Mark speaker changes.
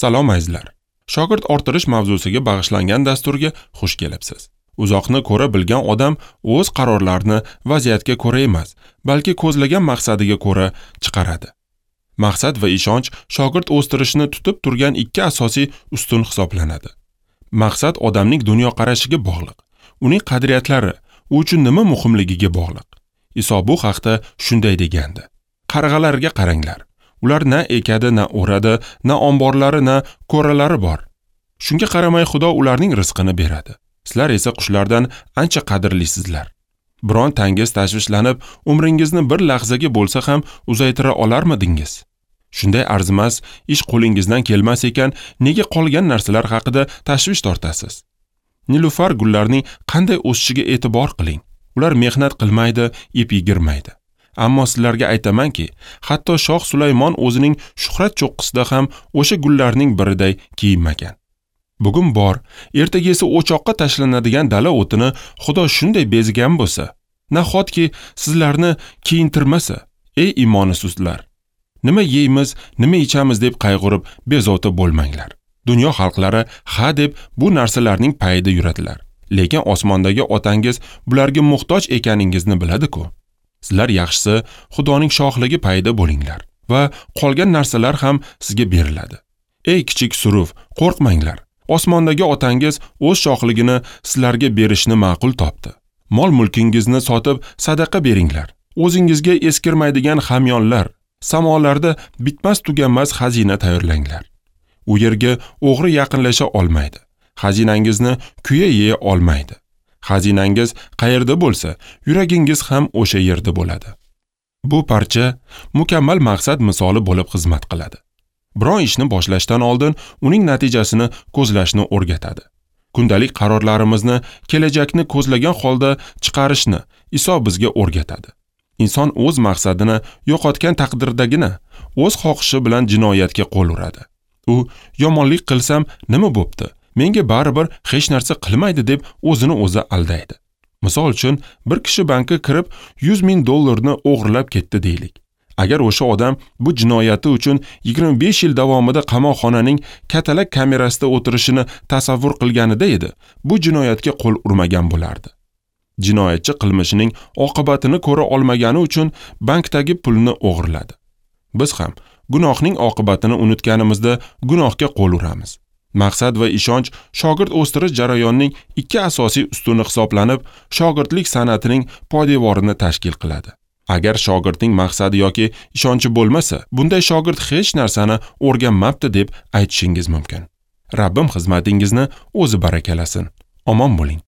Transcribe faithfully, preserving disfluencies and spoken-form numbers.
Speaker 1: Salom azizlar. Shogird orttirish mavzusiga bag'ishlangan dasturga xush kelibsiz. Uzoqni ko'ra bilgan odam o'z qarorlarini vaziyatga ko'ra emas, balki ko'zlagan maqsadiga ko'ra chiqaradi. Maqsad va ishonch shogird o'stirishni tutib turgan ikki asosiy ustun hisoblanadi. Maqsad odamning dunyoqarashiga bog'liq, uning qadriyatlari, u uchun nima muhimligiga bog'liq. Iso bu haqda shunday degandi: Qarg'alarga qaranglar. Ular na ekadi, na o'radi, na omborlari, na ko'ralari bor. Shunga qaramay Xudo ularning rizqini beradi. Sizlar esa qushlardan ancha qadrlisizlar. Biron tangiz tashvishlanib, umringizni bir lahzaga bo'lsa ham uzaytira olarmidingiz? Shunday arzimas ish qo'lingizdan kelmas ekan, nega qolgan narsalar haqida tashvish tortasiz? Nilufar gullarning qanday o'sishiga e'tibor qiling. Ular mehnat qilmaydi, ip yigirmaydi. Ammo sizlarga aytamanki, hatto Shoh Sulaymon o'zining shuhrat cho'qqisida ham o'sha gullarning biriday kiyinmagan. Bugun bor, ertaga esa o'choqqa tashlanadigan dala o'tini Xudo shunday bezigan bo'lsa, nahotki sizlarni kiyintirmasa, ey imonisizlar! Nima yeymiz, nima ichamiz deb qayg'urib bezovta bo'lmanglar. Dunyo xalqlari ha deb bu narsalarning payida yuradilar. Lekin osmondagi otangiz bularga muhtoj ekaningizni biladi-ku. Sizlar yaxshisi Xudoning shohligi payida bo'linglar va qolgan narsalar ham sizga beriladi. Ey kichik suruv, qo'rqmanglar. Osmondagi otangiz o'z shohligini sizlarga berishni ma'qul topdi. Mol-mulkingizni sotib sadaqa beringlar. O'zingizga eskirmaydigan hamyonlar, samolarda bitmas tuganmas xazina tayyorlanglar. U yerga o'g'ri yaqinlasha olmaydi. Xazinangizni kuya yeya olmaydi. Xazinangiz qayerda bo'lsa, yuragingiz ham o'sha yerda bo'ladi. Bu parcha mukammal maqsad misoli bo'lib xizmat qiladi. Biron ishni boshlashdan oldin uning natijasini ko'zlashni o'rgatadi. Kundalik qarorlarimizni kelajakni ko'zlagan holda chiqarishni Iso bizga o'rgatadi. Inson o'z maqsadini yo'qotgan taqdirdagina o'z xohishi bilan jinoyatga qo'l uradi. U yomonlik qilsam nima bo'pti? Menga baribir hech narsa qilmaydi deb o'zini o'zi aldaydi. Misol uchun, bir kishi bankka kirib yuz ming dollarni o'g'irlab ketdi deylik. Agar o'sha odam bu jinoyati uchun yigirma besh yil davomida qamoqxonaning katalak kamerasida o'tirishini tasavvur qilganida edi, bu jinoyatga qo'l urmagan bo'lardi. Jinoyatchi qilmishining oqibatini ko'ra olmagani uchun bankdagi pulni o'g'irladi. Biz ham gunohning oqibatini unutganimizda gunohga qo'l uramiz. Maqsad va ishonch shogird o'stirish jarayonining ikki asosiy ustuni hisoblanib, shogirdlik san'atining poydevorini tashkil qiladi. Agar shogirdning maqsadi yoki ishonchi bo'lmasa, bunday shogird hech narsani o'rganmabdi deb aytishingiz mumkin. Rabbim xizmatingizni o'zi barakalasin. Omon bo'ling.